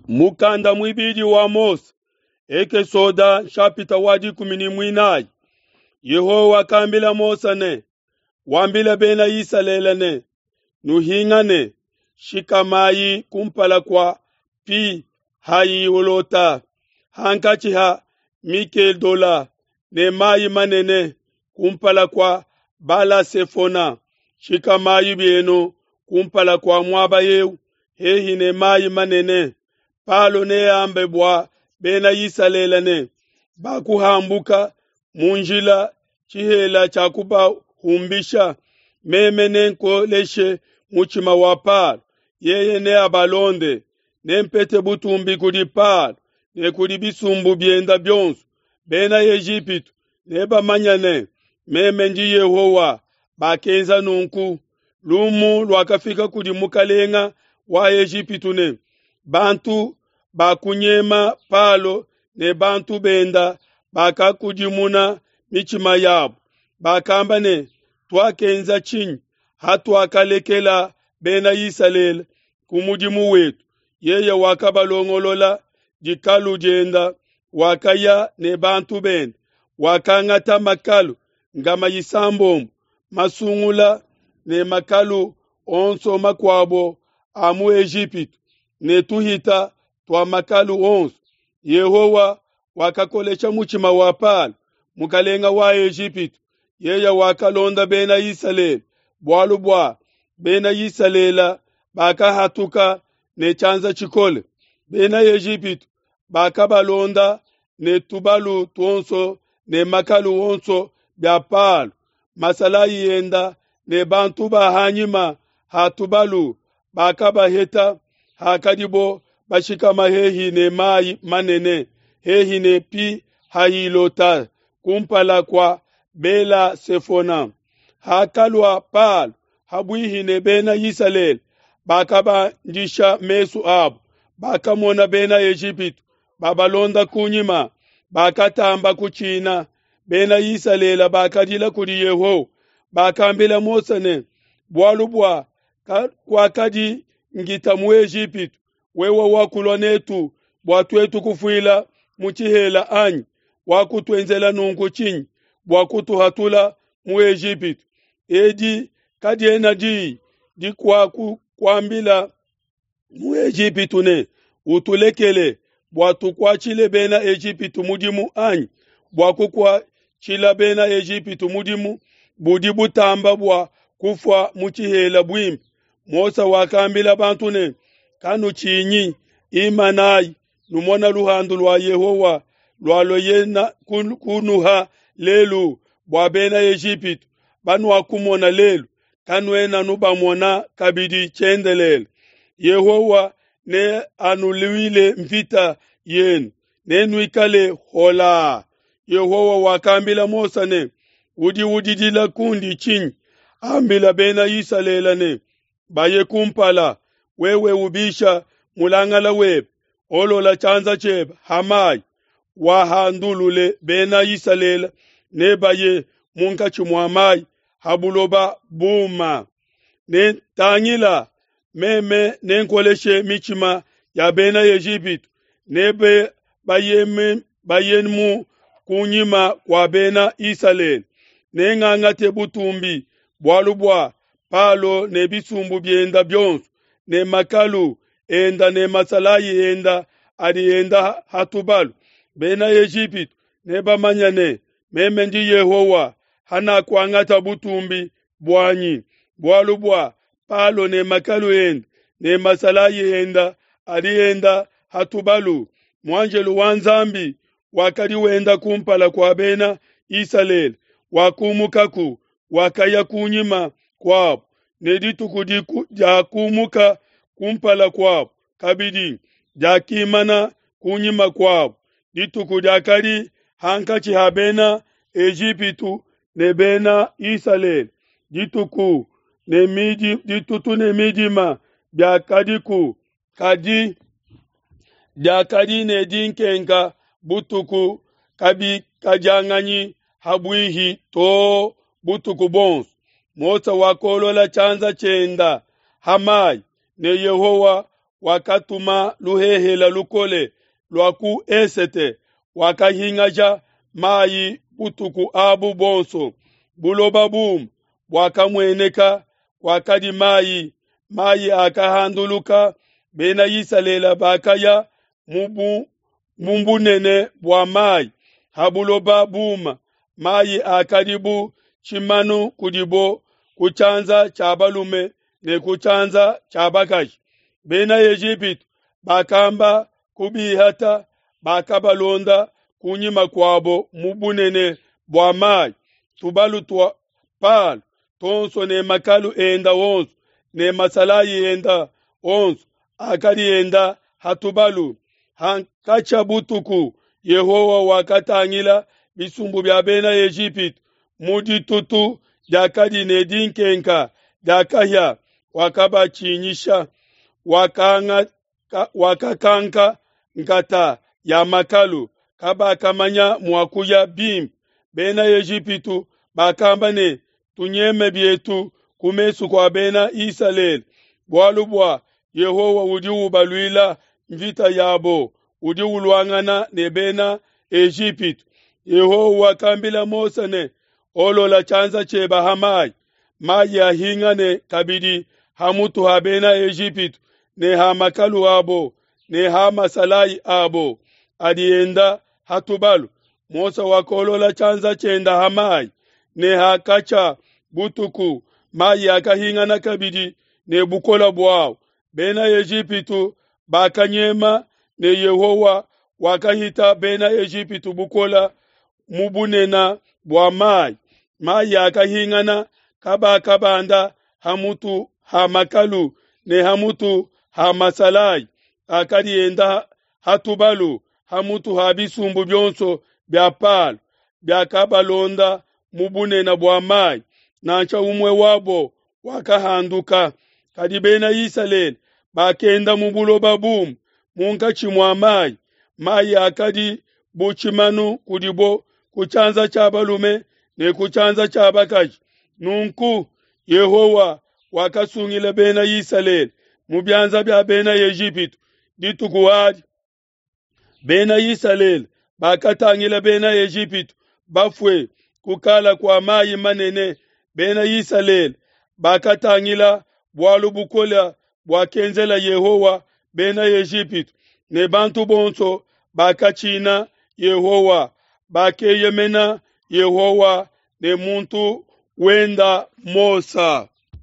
Mukanda muibidi wa Mose, Ekesoda nshapita wa 14. Yehowa wakambila Mose ne, Wambila bena Isalele ne, Nuhingane, shikamayi kumpala kua Pi Hahilota, hankatshi ha Mikedola ne mayi manene, kumpala kua Bala-sefona, shikamayi bienu kumpala kua muaba eu, hehi ne mayi manene. Palo neambe bua bena Isalele ne, Bakuhambuka mu njila, tshihela tshiakubahumbisha. Meme nenkoleshe mutshima wa Palo, yeye neabalonde. Nempete butumbi kudi Palo ne kudi bisumbu bienda bionso. Bena Ejipitu nebamanye ne, meme ndi Yehowa. Bakenza nunku. Lumu luakafika kudi mukalenga wa Ejipitu ne, bantu bakunyema Palo ne bantu benda bakakudimuna mitshima yabo. Bakamba ne, tuakenza tshinyi hatuakalekela Bena Isalele ku mudimu wetu? Yeye wakabalongolola dikalu dienda, wakaya ne bantu bende, wakangata makalu 600 masungula ne makalu onso makuabo a mu Ejipitu ne tuhita tua makalu onso. Yehowa wakakolesha mutshima wa Palo, mukalenga wa Ejipitu. Yeye wakalonda Bena Isalele, bualu bua Bena Isalele bakahatuka ne tshianza tshikole. Bena Ejipitu bakabalonda ne tubalu tuonso ne makalu onso bia Palo, masalayi enda ne bantu ba hanyima ha tubalu bakabaheta hakadibo bashikama hehi ne mayi manene, hehi ne Pi Hahilota, kumpala kua Bela Sefona. Hakalua Palo habuihi ne Bena Isalele, bakabandisha mesu abo, bakamona Bena Ejipitu babalonda kunyima, bakatamba kutshina. Bena Isalele bakadila kudi Yehowa, bakambila Mose ne, bualu bua kuakadi ngita mu Ejipitu, wewe wakulua netu bua tuetu kufuila mu tshihela anyi? Wakutuenzela nunku tshinyi bua kutuhatula mu Ejipitu? Edi kadiena diyi dikuakuambila mu Ejipitu ne, utulekele bua tukuatshile Bena Ejipitu mudimu anyi? Bua kukuatshila Bena Ejipitu mudimu budi butamba bua kufua mu tshihela buimpe. Mose wakambila bantu ne, kanutshinyi, imanayi numona luhandu lua Yehowa lualueye kunuha lelu bua Bena Ejipitu banuakumona lelu, kanuena nubamona kabidi tshiendelele. Yehowa ne anuluile mvita yenu, nenuikale hola. Yehowa wakambila Mose ne, udi udidila kundi tshinyi? Ambila Bena Isalele ne, baye kumpala, wewe ubisha mulangala webe, olola tshianza tshiebe ha mayi, wahandulule Bena Isalele ne baye munkatshi mua mayi ha buloba buma. Ne tangila, meme nenkoleshe mitshima ya Bena Ejipitu, nebe bayemu kunyima kua Bena Isalele. Nengangate butumbi bualu bua Palo ne bisumbu bienda bionso ne makalu enda ne masalayi enda adi enda ha tubalu. Bena Ejipitu nebamanye ne, meme ndi Yehowa, hanakuangata butumbi buanyi, bualu bua Palo ne makalu enda ne masalayi enda adi enda ha tubalu. Muanjelu wa Nzambi wakadi wenda kumpala kua Bena Isalele wakumukaku, wakaya kunyima kuabo, ne dituku diakumuka kumpala kuabo kabidi diakimana kunyima kuabo. Dituku diakadi hankatshi ha Bena Ejipitu ne Bena Isalele, dituku ne midi, ditutu ne midima biakadiku, kadi diakadi ne dinkenka butuku kabikadianganyi habuihi to butuku bonso. Mose wakolola tshianza tshienda ha mayi, ne Yehowa wakatuma luhehele lukole lua ku esete, wakahingaja mai butuku abu buonso. Buloba bume buakamueneka, kuakadi mai, mai akahanduluka. Bena Isalele bakaya mu bunene bua mai ha buloba buma, mai akadi bu tshimanu kudibo ku tshianza tshia balume ne ku tshianza tshia bakaji. Bena Ejipitu bakamba kubihata, bakabalonda kunyima kuabo mu bunene bua mai. Tubalu tua Palo tuonso ne makalu enda onso ne masalayi enda onso akadi enda ha tubalu. Hankatshia butuku Yehowa wakatangila bisumbu bia Bena Ejipitu mu ditutu diakadi ne dinkenka dia kahia, wakabatshinyisha. Wakakanka nkata ya makalu, kabakamanya mua kuya bimpe. Bena Ejipitu bakamba ne, Tunyeme bietu ku mesu kua Bena Isalele, bualu bua Yehowa udi ubaluila mvita yabo, udi uluangana ne Bena Ejipitu. Yehowa wakambila Mose ne, Olola tshianza tshiebe ha mai, mai ahingane kabidi ha mutu ha Bena Ejipitu ne ha makalu abo ne ha masalayi abo adi enda ha tubalu. Mose wakolola tshianza tshienda ha mai, ne hakatshia butuku mai akahingana kabidi ne bukole buau. Bena Ejipitu bakanyema, ne Yehowa wakahita Bena Ejipitu bukole mu bunene bua mai. Mai akahingana, kabakabanda ha mutu ha makalu ne ha mutu ha masalayi akadi enda ha tubalu, ha mutu ha bisumbu bionso bia Palo biakabalonda mu bunene bua mai, nansha umue wabo wakahanduka. Kadi Bena Isalele bakenda mu buloba bume munkatshi mua mai, mai akadi bu tshimanu kudibo ku tshianza tshia balume ne ku tshianza tshia bakaji. Nunku Yehowa wakasungila Bena Isalele mu bianza bia Bena Ejipitu dituku adi. Bena Isalele bakatangila Bena Ejipitu bafue kukala kua mai manene. Bena Isalele bakatangila bualu bukole buakenzela Yehowa Bena Ejipitu, ne bantu bonso bakatshina Yehowa, bakeyemena Yehowa ne muntu wenda Mose.